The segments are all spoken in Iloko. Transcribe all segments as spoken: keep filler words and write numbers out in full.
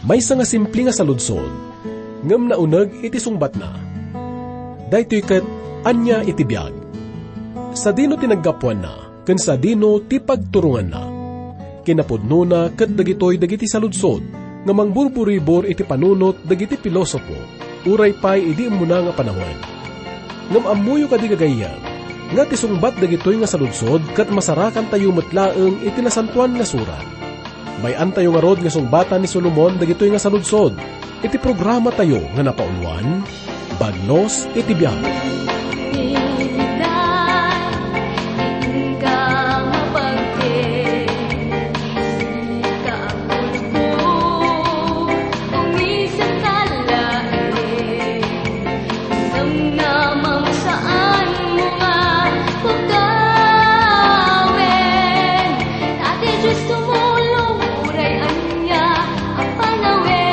Maysa nga simple nga saludsod, ngem nauneg iti sungbatna. Daytoy ket ania iti biag? Sadino ti naggapuanna, ken sadino ti pagturonganna? Kinapudnona ket dagitoy dagiti saludsod nga mangburburibor iti panunot dagiti pilosopo, uray pay idi immuna nga panawen. Ngem ammoyo kadi, gagayyem, nga ti sungbat dagitoy nga saludsod ket masarakantayo met laeng iti Nasantoan nga Surat. May-antayo ngarud nga sungbatan ni Solomon dagitoy nga saludsod iti programatayo nga napauluan, Bagnos iti Biag. Namnamam saan mo nga pagawin. Ate Diyos, tumulong, uray ania a panawin.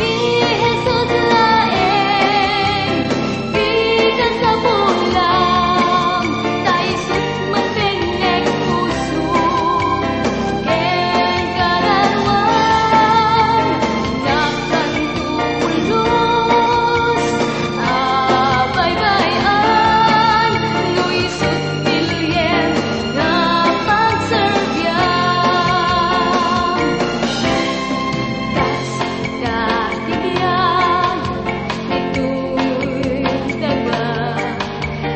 Ni Jesus laeng, di ka sabulam, ta isu Mapengnek puso ken kararuam, nakanto pulos a baybay-an, no isut' bilien nga pagserbiam. Kas ka ti biag, ditoy daga.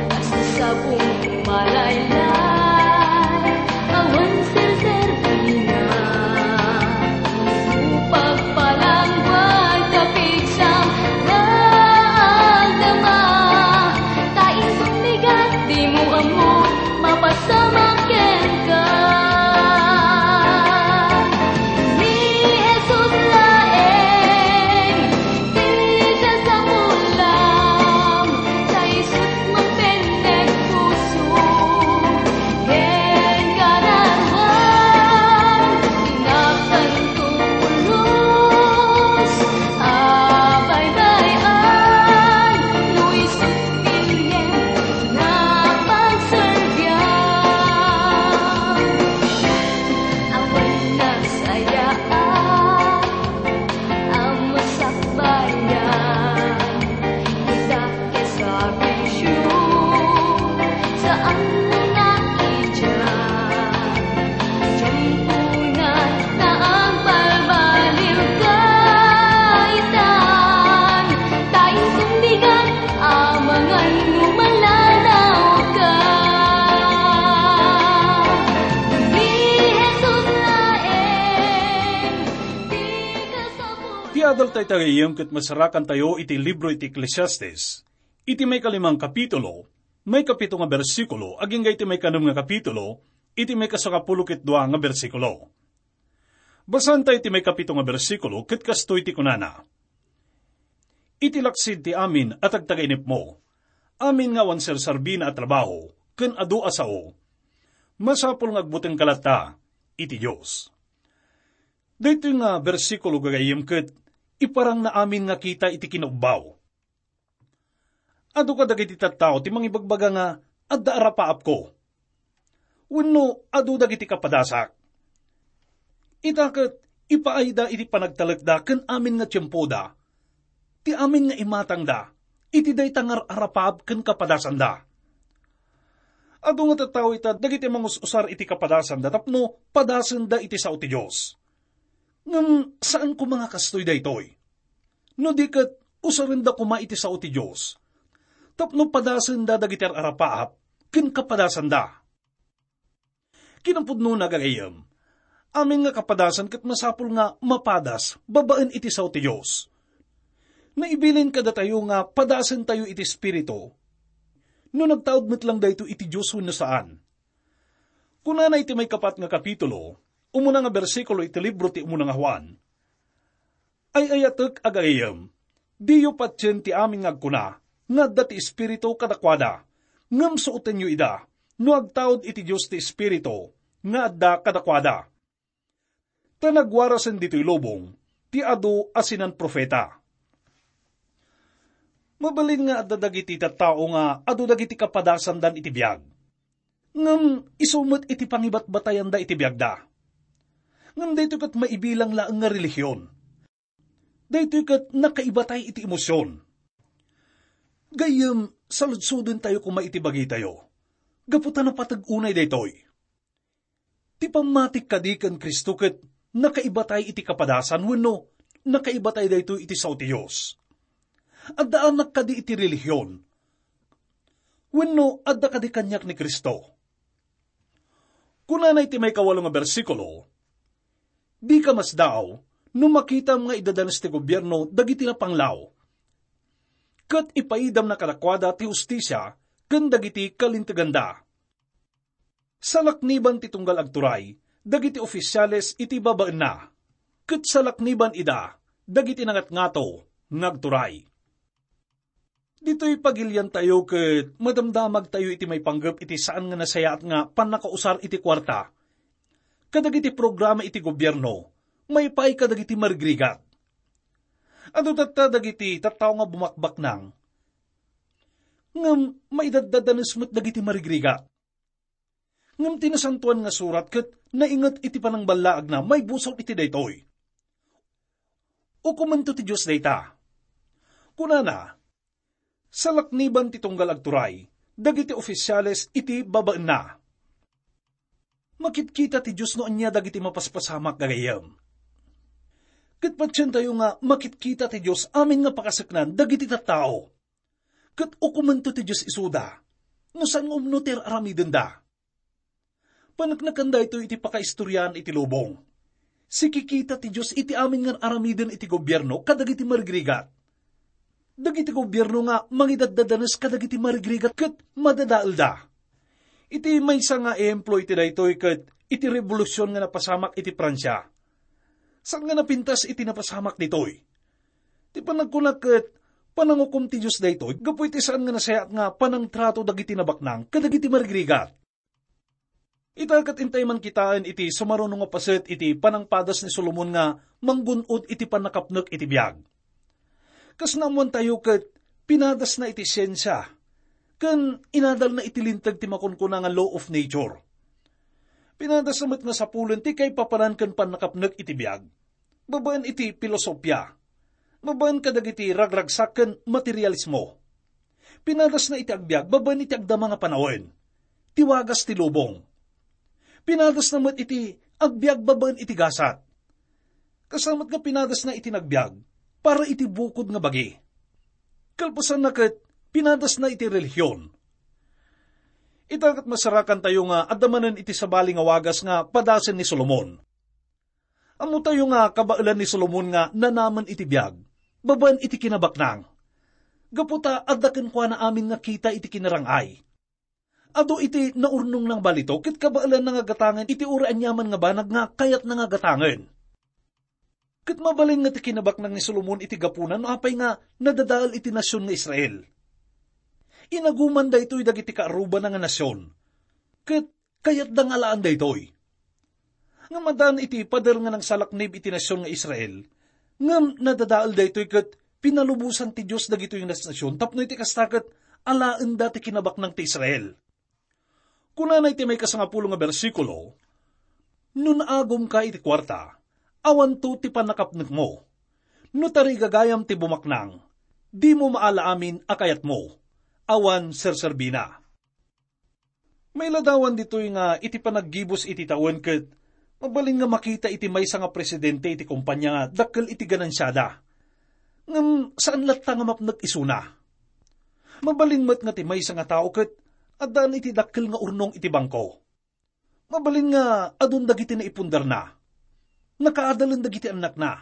Kas ti sabong malaylay, awan serserbina. Pagpalangguad ta pigsam nga agdama, ta isu ti bigat dimo ammo, mapasamak kenka. Ni Jesus laeng, ti kasapulam, ta isut' mapendek puso, ken kararuam, inakanto pulos a baybay-an, no isut' bilien nga pagserbiam. Awan nasayaan a masakbayan, ita ket sa bisio, saan mo na idian. Tiempo na nga agbalbaliw ka itan, ta isu ti bigat a mangan no malanaw ka. Ni Jesus laeng, di ka sapul- Ti adal tayo, gagayyem, ket masarakantayo iti libro iti Eclesiastes, iti maikalimang kapitulo, maikapito nga bersikulo, agingga iti maikanem nga kapitulo, iti maikasangapulo ket dua nga bersikulo. Basaentayo ti maikapito nga bersikulo, ket kastoy ti kunana: Iti laksid ti amin a tagtagainepmo, amin nga awan sersarbina a trabaho ken adu a sao, masapul nga agbutengka latta iti Dios. Daytoy nga bersikulo, gagayyem, ket iparangna amin nga kita iti kinaubbaw. Adu kadagiti tattao ti mangibagbaga nga adda arapaapko, wenno adu dagiti kapadasak. Ita ket ipaayda iti panagtalekda ken amin nga tiempoda, ti amin nga imatangda iti dayta nga ar-arapaap ken kapadasanda. Adu nga tattao ita dagiti mangus-usar iti kapadasanda tapno padasenda iti sao ti Dios. Ngem saan koma nga kastoy daytoy. No di ket, usarenda koma iti sao ti Dios tapno padasenda dagiti ar-arapaap ken kapadasanda. Kinapudnona, gagayyem, amin nga kapadasan ket masapul nga mapadas babaen iti sao ti Dios. Naibilin kadatayo nga padasentayo iti Espiritu no nagtaud met lang daytoy iti Dios wenno saan. Kunana iti maikapat nga kapitulo, umuna nga bersikulo iti libro ti Umuna nga Juan, Ay-ayatek a gagayyem, diyo patien ti amin nga agkuna nga adda ti Espiritu kadakuada, ngem suotenyo ida no agtaud iti Dios ti Espiritu nga adda kadakuada. Ta nagwarasen ditoy lubong ti adu a sinan-profeta. Mabalin nga adda dagiti tattao nga adu dagiti kapadasandan iti biag. Ngem isu met iti pangibatbatayanda iti biagda. Ngem daytoy ket maibilang laeng nga relihion. Daytoy ket nakaibatay iti emosion. Gayyem, saludsodentayo koma iti bagitayo. Gapu ta napateg unay daytoy. Ti pammatik kadi ken Cristo ket nakaibatay iti kapadasan wenno nakaibatay daytoy iti sao ti Dios? Addaanak kadi iti relihion? Wenno adda kadi kaniak ni Cristo? Kunana iti maikawalo nga bersikulo, "Dika masdaaw no makitam nga idadanes ti gobierno dagiti napanglaw, ket ipaidamna kadakuada ti hustisia ken dagiti kalinteganda." Salakniban ti tunggal agturay dagiti ofisiales iti babaenna, ket salakniban ida dagiti nangatngato nga agturay. Ditoy pagiliantayo ket madamdamagtayo iti maipanggep iti saan nga nasayaat nga pannakausar iti kuarta kadagiti programa iti gobierno maipaay kadagiti marigrigat. Adu tatta dagiti tattao nga bumakbaknang, ngem maidaddadanes met dagiti marigrigat. Ngem ti Nasantoan nga Surat ket nainget iti panangballaagna maibusor iti daytoy. Ukomento ti Dios dayta. Kunana, "Salakniban ti tunggal agturay dagiti ofisiales iti babaenna." Makitkita ti Dios no ania dagiti mapaspasamak, gagayyem. Ket patientayo nga makitkita ti Dios amin nga pakaseknan dagiti tattao. Ket ukomento ti Dios isuda no saan nga umno ti ar-aramidenda. Paneknekan daytoy iti pakaistoriaan iti lubong. Sikikita ti Dios iti amin nga ar-aramiden iti gobierno kadagiti marigrigat. Dagiti gobierno nga mangidaddadanes kadagiti marigrigat ket madadaelda. Iti maysa nga ehemplo iti daytoy ket iti rebolusion nga napasamak iti Francia. Saan nga napintas iti napasamak ditoy? Ti panagkuna ket panangukom ti Dios daytoy gapu iti saan nga nasayaat nga panangtrato dagiti nabaknang kadagiti marigrigat. Ita ket intay man kitaen iti sumaruno nga paset iti panangpadas ni Solomon nga manggun-od iti pannakapnek iti biag. Kas naammoantayo ket pinadasna iti siensia ken inadalna iti linteg ti makunkuna nga law of nature. Pinadasna met nga sapulen ti kaipapanan ken pannakapnek iti biag babaen iti filosofia, babaen kadagiti ragragsak ken materialismo. Pinadasna iti agbiag babaen iti agdama nga panawen, ti wagas ti lubong. Pinadasna met iti agbiag babaen iti gasat. Kasta met nga pinadasna iti nagbiag para iti bukod nga bagi. Kalpasanna ket pinadasna iti relihion. Ita ket masarakantayo nga adda manen iti sabali nga wagas nga padasen ni Solomon. Ammotayo nga kabaelan ni Solomon nga nanamen iti biag babaen iti kinabaknang, gapu ta adda kenkuana amin nga kita iti kinarang-ay. Adu iti naurnongna nga balito ket kabaelanna nga gatangen iti uray aniaman nga banag nga kayatna nga gatangen. Ket mabalin nga ti kinabaknang ni Solomon iti gapuna no apay nga nadadael iti nasion nga Israel. Inaguman daytoy dagiti kaarrubana nga nasion, ket kayatda nga alaan daytoy. Ngem addaan iti pader nga nangsalaknib iti nasion nga Israel, ngem nadadael daytoy ket pinalubosan ti Dios dagitoy nga nasion tapno iti kasta ket alaenda ti kinabaknang ti Israel. Kunana iti maikasangapulo nga bersikulo, "No naagumka iti kuarta, awanto ti pannakapnekmo. No tarigagayam ti bumaknang, dimo maala amin a kayatmo. Awan serserbina." Mailadawan ditoy nga iti panaggibus iti tawen ket mabalin nga makita iti maysa nga presidente iti kompania nga dakkel iti ganansiada. Ngem saan latta nga mapnek isuna. Mabalin met nga ti maysa nga tao ket addaan iti dakkel nga urnong iti bangko. Mabalin nga adun dagiti naipundarna. Nakaadalen dagiti annakna.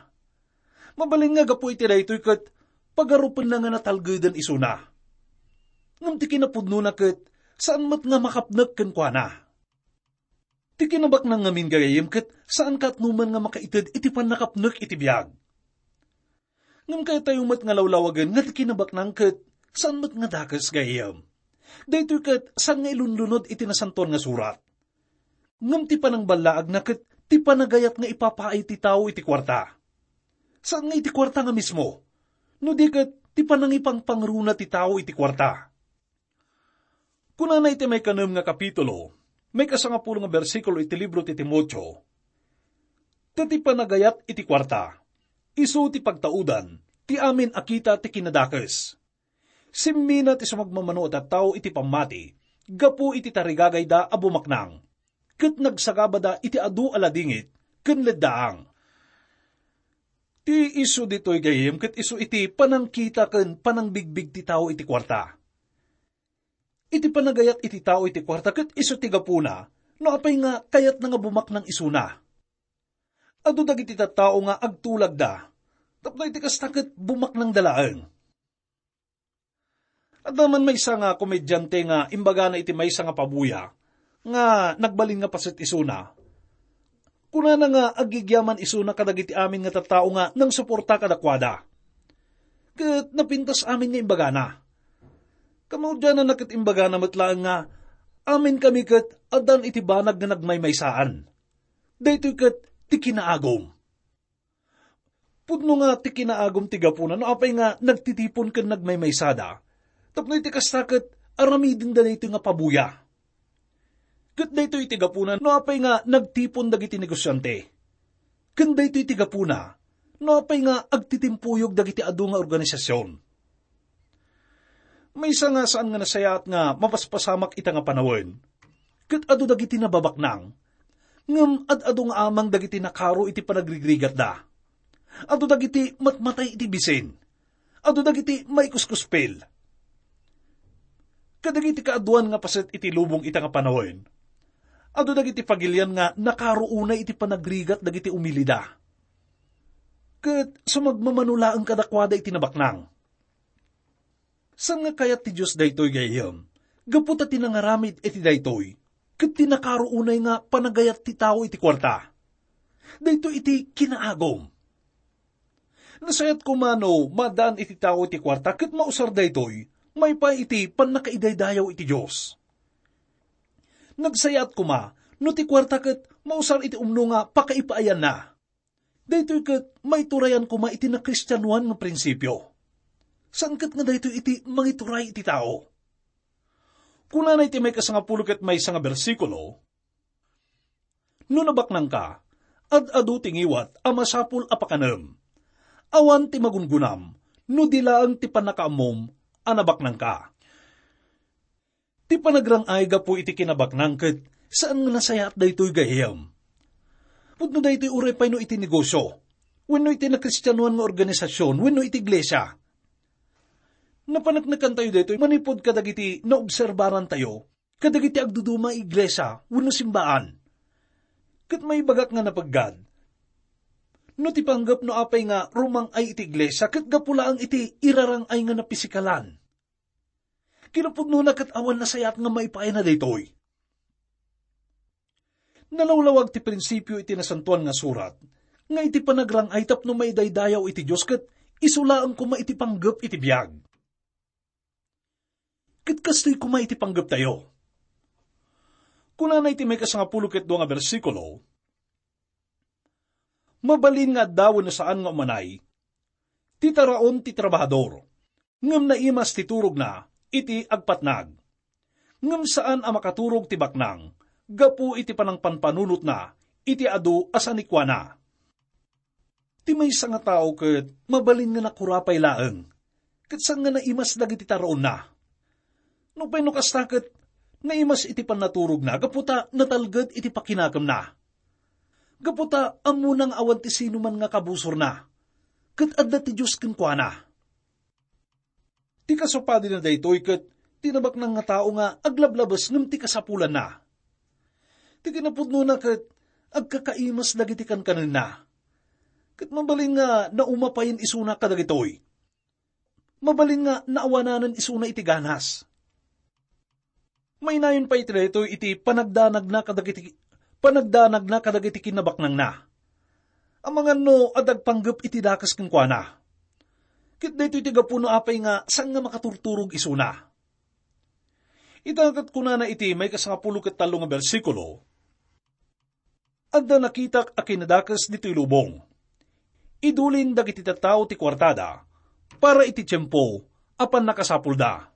Mabalin nga gapu iti daytoy ket pagarupenna nga natalgeden isuna. Ngem ti kinapudnona ket saan met nga makapnek kenkuana. Ti kinabaknang ngamin gagayyem ket saan katnoman nga makaited iti pannakapnek iti biag. Ngem kayatyo met nga lawlawagen nga ti kinabaknang ket saan met nga dakes gagayyem. Daytoy ket saan nga ilunlunod iti Nasantoan nga Surat. Ngem ti panangballaagna ket ti panagayat nga ipapaay ti tao iti kuarta. Saan nga iti kuarta nga mismo, no di ket ti panangipangpangruna ti tao iti kuarta. Kunana iti maikanem nga kapitulo, maikasangapulo nga bersikulo iti libro ti Timoteo, Ta ti panagayat iti kuarta, isu ti pagtaudan ti amin a kita ti kinadakes. Simmina ti sumagmamano a tattao iti pammati gapu iti tarigagayda a bumaknang, ket nagsagabada iti adu a ladingit ken leddaang. Ti isu ditoy gayyem ket isu iti panangkita ken panangbigbig ti tao iti kuarta. Iti panagayat iti tao iti kuarta ket isu ti gapuna no apay nga kayatna nga bumaknang isuna. Adu dagiti tattao nga agtulagda, tapno iti kasta ket bumaknangda laeng. Adda man maysa nga komedyante nga imbagana iti maysa nga pabuya nga nagbalin nga paset isuna. Kunana nga aggigyaman isuna kadagiti amin nga tattao nga nangsuporta kadakuada. Ket napintas amin nga imbagana. Kamaudiananna ket imbagana met laeng nga, "Amin kami ket addan iti banag nga nagmaymaysaan. Daytoy ket ti kinaagum." Pudno nga ti kinaagum ti gapuna no apay nga nagtitipon ken nagmaymaysada. Tapno iti kasta ket aramidenda daytoy nga pabuya. Ket daytoy iti gapuna no apay nga nagtipon dagiti negosiante. Ken daytoy iti gapuna no apay nga agtitimpuyog dagiti adu nga organisasyon. Maysa nga saan nga nasayaat nga mapaspasamak ita nga panawen, ket adu dagiti nababaknang, ngem ad-adu nga amang dagiti nakaro iti panagrigrigatda. Adu dagiti matmatay iti bisin. Adu dagiti maikuskuspil. Kadagiti kaaduan nga paset iti lubong ita nga panawen, adu dagiti pagilian nga nakaro unay iti panagrigat dagiti umilida. Ket sumagmamano laeng kadakuada iti nabaknang. Saan nga kayat ti Dios daytoy gayyem, gapu ta ti nangaramid iti daytoy, ket ti nakaro unay nga panagayat ti tao iti kuarta. Daytoy iti kinaagum. Nasayaat koma no maadaan iti tao iti kuarta ket mausar daytoy maipaay iti pannakaidaydayaw iti Dios. Nagsayaat koma no ti kuarta ket mausar iti umno nga pakaipaayanna. Daytoy ket maiturayan koma iti nakristianoan nga prinsipio. Saan ket nga daytoy iti mangituray iti tao. Kunana iti maikasangapulo ket maysa nga bersikulo, "No nabaknangka, ad-adu ti ngiwat a masapul a pakanem. Awan ti magungunam no di laeng ti pannakaammom a nabaknangka." Ti panagrang-ay gapu iti kinabaknang ket saan nga nasayaat daytoy gayyem. Pudno daytoy uray pay no iti negosyo, wenno iti nakristianoan nga organisasyon, wenno iti iglesia. Napaneknekantayo daytoy manipud kadagiti naobserbarantayo kadagiti agduduma a iglesia wenno simbaan. Ket maibagak nga napeggad, no ti panggep no apay nga rumang-ay iti iglesia ket gapu laeng iti irarang-ay nga napisikalan. Kinapudnona ket awan nasayaat nga maipaayna daytoy. Nalawlawag ti prinsipio iti Nasantoan nga Surat nga iti panagrang-ay tapno maidaydayaw iti Dios ket isu laeng koma iti panggep iti biag. Ket kastoy koma iti panggeptayo. Kunana iti maikasangapulo ket dua nga bersikulo, "Mabalin nga adda wenno saan nga umanay ti taraon ti trabahador, ngem naimas ti turogna iti agpatnag. Ngem saan a makaturog ti baknang gapu iti panangpanpanunotna iti adu a sanikuana." Ti maysa nga tao ket mabalin nga nakurapay laeng, ket saan nga naimas dagiti taraonna. Nupay no kasta ket naimas iti pannaturogna gapu ta natalged iti pakinakemna. Gapu ta ammona nga awan ti sinuman nga kabusorna, ket adda ti Dios kenkuana. Ti kasupadina daytoy ket ti nabaknang nga tao nga aglablabes ngem ti kasapulanna. Ti kinapudnona ket agkakaimas dagiti kankanenna. Ket mabalin nga naumapayen isuna kadagitoy. Mabalin nga naawananen isuna iti ganas. Mainayon pay iti daytoy iti panagdanagna kadagiti, panagdanagna kadagiti kinnabaknangna. Amangan no adda agpanggep iti dakes kenkuana. Ket daytoy ti gapu no apay nga saan nga makaturturog isuna. Ita ket kunana iti maikasangapulo ket tallo nga bersikulo, "Adda nakitak a kinadakes ditoy lubong. Idulin dagiti tattao ti kuartada para iti tiempo a pannakasapulda."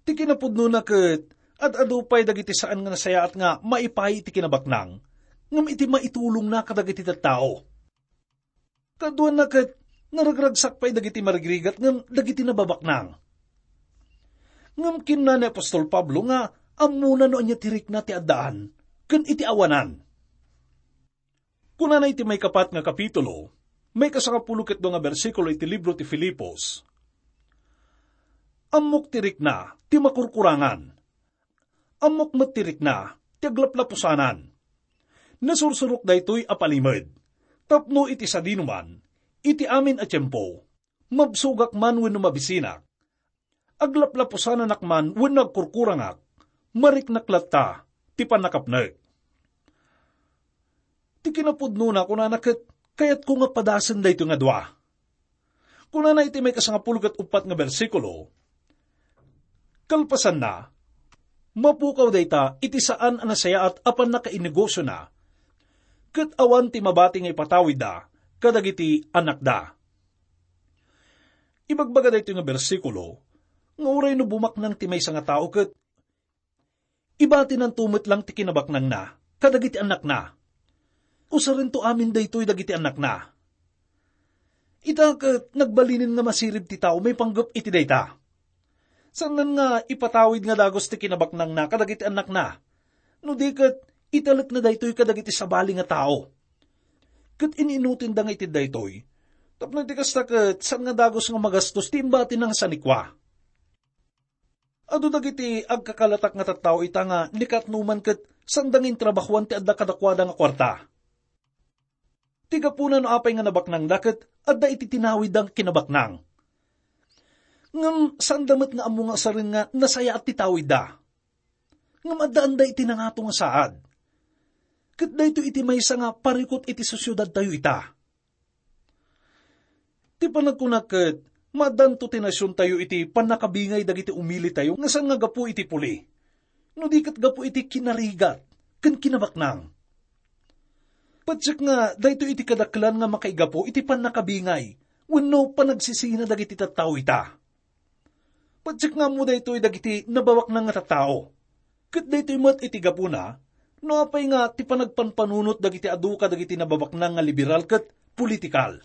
Ti kinapudnona ket ad-adu pay dagiti saan nga nasayaat nga maipaay iti kinabaknang, ngem iti maitulongna kadagiti tattao. Kaduana ket, naragragsak pay dagiti marigrigat ngem dagiti nababaknang. Ngem kinuna ni apostol Pablo nga ammona no ania ti rikna ti addaan ken iti awanan. Kunana iti maikapat nga kapitulo, maikasangapulo ket dua nga bersikulo iti libro ti Filipos, "Ammok ti rikna ti makurkurangan. Ammok met ti rikna ti aglaplapusanan. Nasursurok daytoy a palimed, tapno iti sadinoman, iti amin a tiempo, mabsogak man wenno mabisinak, aglaplapusananak man wenno agkurkurangak, mariknak latta ti pannakapnek." Ti kinapudnona, kunana ket, kayatko nga padasen daytoy nga dua. Kunana iti maikasangapulo ket uppat nga bersikulo, "Kalpasanna, mapukaw dayta iti saan a nasayaat a pannakainegosiona, ket awan ti mabati nga ipatawidda kadagiti anakda." Ibagbaga daytoy nga bersikulo nga uray no bumaknang ti maysa nga tao ket ibatinanto met lang ti kinabaknangna kadagiti annakna. Usarento amin daytoy dagiti annakna. Ita ket nagbalinen nga masirib ti tao maipanggep iti dayta. Saanen nga ipatawid nga dagus ti kinabaknangna kadagiti annakna. No di ket, italekna daytoy kadagiti sabali nga tao. Ket in-inutenda nga iti daytoy. Tapno iti kasta ket, saan nga dagus nga magastos ti imbatina nga sanikua. Adu dagiti agkakalatak nga tattao ita nga ni Katno man ket sanda nga intrabahuan ti adda kadakuada nga kuarta. Ti gapuna no apay nga nabaknangda ket adda iti tinawidda nga kinabaknang. Ngem sanda met nga ammo nga saren nga nasayaat ti tawidda. Ngem addaanda iti nangato nga saad. Ket daytoy iti maysa nga parikut iti sosiedadtayo ita. Ti panagkunak ket, maaddanto ti nasiontayo iti pannakabingay dagiti umilitayo nga saan nga gapu iti puli, no di ket gapu iti kinarigat ken kinabaknang. Patiek nga daytoy iti kadaklan nga makaigapu iti pannakabingay wenno panagsisina dagiti tattao ita. Patiek nga ammo daytoy dagiti nababaknang nga tattao. Ket daytoy met iti gapuna, no apay nga ti panagpanpanunot dagiti adu kadagiti nababaknang nga liberal ket politikal.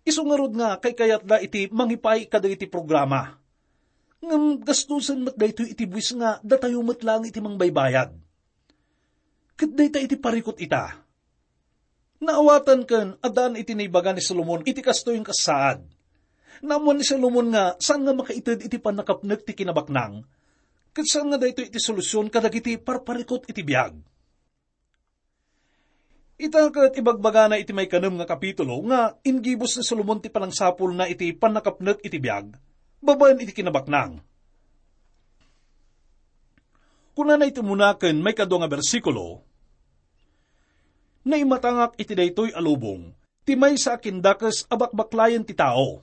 Isu ngarud nga kaykayatda iti mangipaay kadagiti programa. Ngem gastusen met daytoy iti buis nga datayo met laeng iti mangbaybayad. Ket dayta iti parikut ita. Naawatan ken addaan iti naibaga ni Solomon iti kastoy nga saad. Naammuan ni Solomon nga saan nga makaited iti pannakapnek ti kinabaknang, ket saan nga daytoy iti solusion kadagiti parparikut iti biag. Ita ket ibagbagana iti maikanem nga kapitulo nga inggibus ni Solomon ti panangsapulna iti pannakapnek iti biag babaen iti kinabaknang. Kunana iti umuna ken maikadua nga bersikulo, "Naimatangak iti daytoy a lubong, ti maysa a kindakes a bakbaklayen ti tao.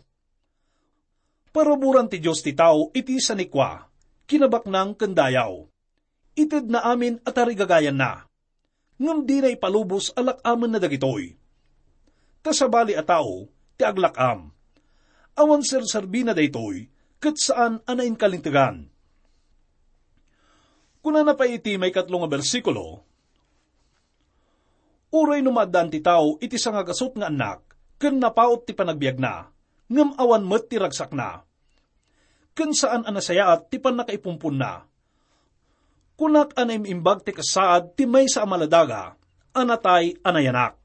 Paraburan ti Dios ti tao iti sanikua, kinabaknang ken dayaw. Itedna amin a tarigagayanna. Ngem dina ipalubos a lak-amenna dagitoy. Ta sabali a tao ti aglak-am. Awan serserbina daytoy, ket saan a nainkalintegan." Kunana pay iti maikatlo nga bersikulo, "Uray no maaddaan ti tao iti sangagasut nga annak, ken napaut ti panagbiagna, ngem awan met ti ragsakna, ken saan a nasayaat ti pannakaipumponna, kunak a naim-imbag ti kasaad ti maysa a maladaga a natay a nayanak."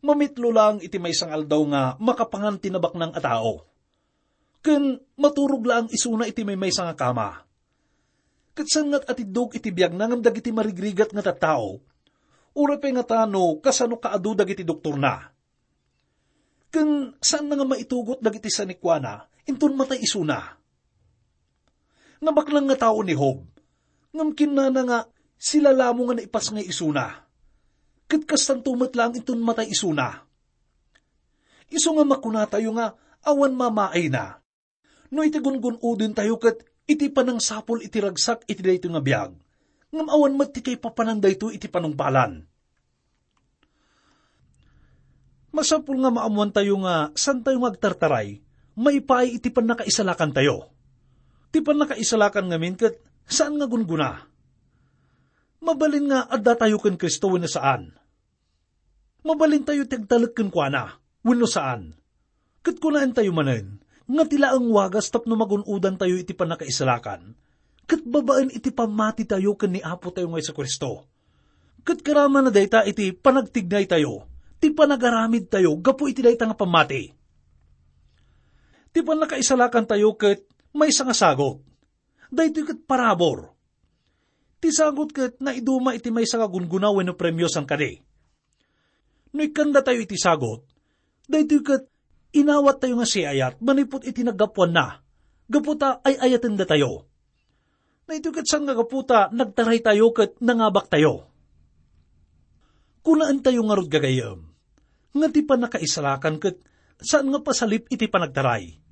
Mamitlo laeng iti maysa nga aldaw nga makapangan ti nabaknang a tao. Ken maturog laeng isuna iti maymaysa nga kama. Ket saan nga atiddog iti biagna ngem dagiti marigrigat nga tattao, uray pay ngata no kasano kaadu dagiti doktorna. Ken saanna nga maitugot dagiti sanikuana, inton matay isuna. Nabaknang nga tao ni Job, ngem kinnana nga silalamo nga naipasngay isuna. Ket kastanto met laeng inton matay isuna. Isu nga makunatayo nga awan mamaayna, no iti gungun-udentayo ket iti panangsapul iti ragsak iti daytoy nga biag, ngem awan met ti kaipapanan daytoy iti panungpalan. Masapul nga maammoantayo nga saantayo nga agtartaray maipaay iti pannakaisalakantayo. Ti pannakaisalakan ngamin ket saan nga gunggona. Mabalin nga addatayo ken Cristo wenno saan? Mabalintayo ti agtalek kenkuana wenno saan? Ket kunaentayo manen nga ti laeng wagas tapno magun-odantayo iti pannakaisalakan ket babaen iti pammatitayo ken ni Apotayo nga Jesu-Cristo. Ket karamana dayta iti panagtignaytayo, ti panagaramidtayo gapu iti dayta nga pammati. Ti pannakaisalakantayo ket maysa nga sagut. Daytoy ket parabur. Ti sagut ket naiduma iti maysa nga gungguna wenno premio saan kadi. No ikkandatayo iti sagut, daytoy ket inawattayo nga siayat manipud iti naggapuanna, gapu ta ay-ayatendatayo. Daytoy ket saan nga gapu ta nagtaraytayo ket nangabaktayo. Kunaentayo ngarud, gagayyem, nga ti pannakaisalakan ket saan nga pasalip iti panagtaray.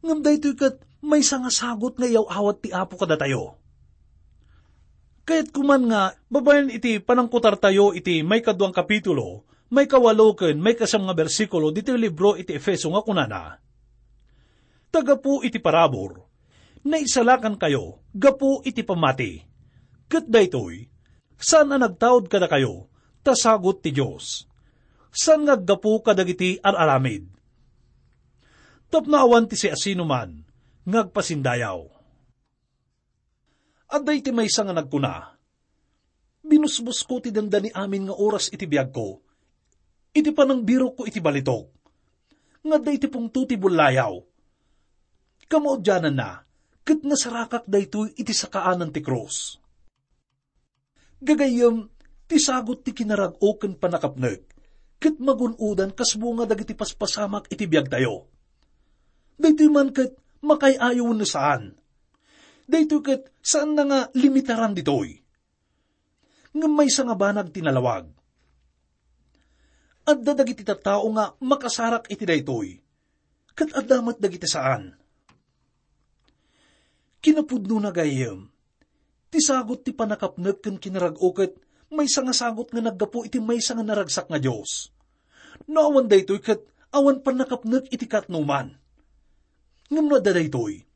Ngem daytoy ket maysa nga sagut nga iyaw-awat ti Apo kadatayo. Kayatko man nga, babaen iti panangkutartayo iti maikaduang kapitulo, maikawalo ken maikasiam nga bersikulo ditoy libro iti Efeso nga kunana, "Ta gapu iti parabur, naisalakankayo gapu iti pammati. Ket daytoy, saan a nagtaud kadakayo, ta sagut ti Dios. Saan nga aggapu kadagiti ar-aramid. Tapno awan ti siasinoman nga agpasindayaw." Adda iti maysa nga nagkuna, "Binusbosko ti dandani amin nga oras iti biagko, iti panangbirokko iti balitok, nga adda iti pungto ti bullayaw. Kamaudiananna, ket nasarakak daytoy iti sakaanan ti krus." Gagayyem, ti sagut ti kinarag-o ken pannakapnek, ket magun-odan kas bunga dagiti paspasamak iti biagtayo. Daytoy man ket makaay-ayo wenno saan. Daytoy ket saanna nga limitaran ditoy. Ngem maysa nga banag ti nalawag. Adda dagiti tattao nga makasarak iti daytoy, ket adda met dagiti saan. Kinapudnona, gayyem, ti sagut ti pannakapnek ken kinarag-o ket maysa nga sagut nga naggapu iti maysa nga naragsak nga Dios. No awan daytoy ket awan pannakapnek iti katnoman. Ngem no adda daytoy,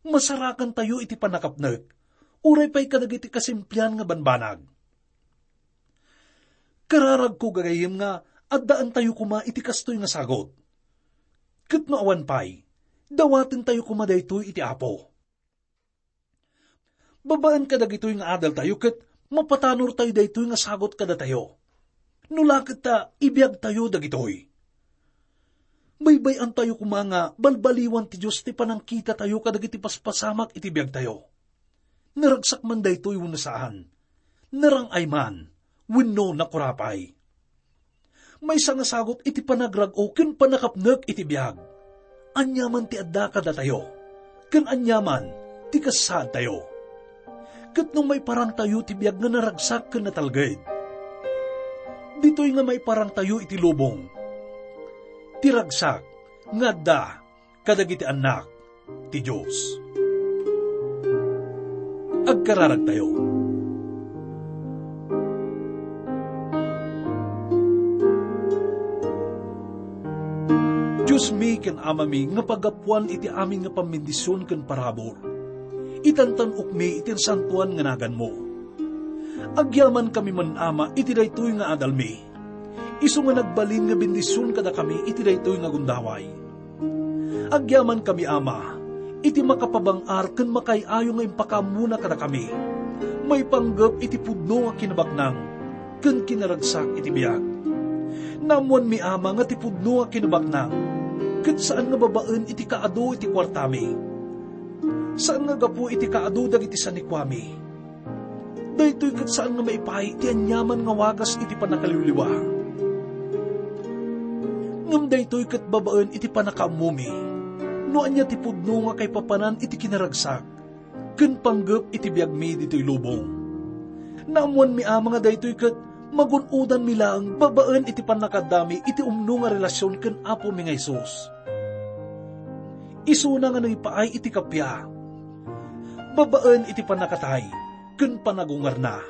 masarakantayo iti pannakapnek, uray pay kadagiti kasimplian nga banbanag. Kararagko, gagayyem, nga addaantayo koma iti kastoy nga sagut. Ket no awan pay, dawatentayo koma daytoy iti Apo. Babaen kadagitoy nga adaltayo ket mapatanortayo daytoy nga sagut kadatayo. No la ket ta ibiagtayo dagitoy. Baybay-antayo koma nga balbaliwan ti Dios ti panangkitatayo kadagiti paspasamak iti biagtayo. Naragsak man daytoy wenno saan, narang-ay man wenno nakurapay. Maysa nga sagut iti panagrag-o ken pannakapnek iti biag. Ania man ti adda kadatayo, ken ania man ti kasaadtayo. Ket no maiparangtayo ti biag nga naragsak ken natalged, ditoy nga maiparangtayo iti lubong ti ragsak nga adda kadagiti annak ti Dios. Agkararagtayo. Diosmi ken Amami nga paggapuan iti amin nga pambendision ken parabur, itantan-okmi iti nasantoan nga naganmo. Agyamankami man, Ama, iti daytoy nga adalmi. Isu nga nagbalin nga bendision kadakami iti daytoy nga gundaway. Agyamankami, Ama, iti makapabang-ar ken makaay-ayo nga impakaammona kadakami, maipanggep iti pudno nga kinabaknang ken kinaragsak iti biag. Naammoanmi, Ama, nga ti pudno nga kinabaknang ket saan nga babaen iti kaadu iti kuartami. Saan nga gapu iti kaadu dagiti sanikuami. Daytoy ket saan nga maipaay ti aniaman nga wagas iti pannakaliwliwa. Ngem daytoy ket babaen iti pannakaammomi no ania ti pudno nga kaipapanan iti kinaragsak ken panggep iti biagmi ditoy lubong. Naammoanmi, Ama, nga daytoy ket magun-odanmi laeng babaen iti pannakaaddami iti umno nga relasion ken Apomi nga Jesus. Isuna nga nangipaay iti kappia, babaen iti pannakatay ken panagungarna.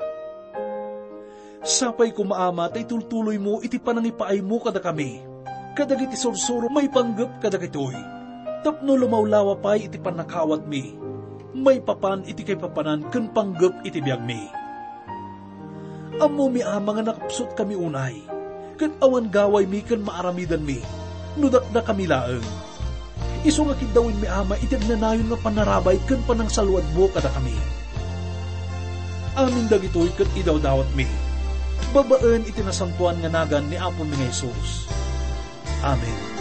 Sapay koma, Ama, ta itultuloymo iti panangipaaymo kadakami kadagiti sursuro maipanggep kadagitoy, tapno lumawlawa pay iti pannakaawatmi maipapan iti kaipapanan ken panggep iti biagmi. Ammomi, Ama, nga nakapsutkami unay, ket awan gawaymi ken maaramidanmi no dakdakami laeng. Isu nga kiddawenmi, Ama, iti agnanayon nga panarabay ken panangsaluadmo kadakami. Amin dagitoy ket idawdawatmi babaen iti nasantoan nga nagan ni Apomi nga Jesus. Amen.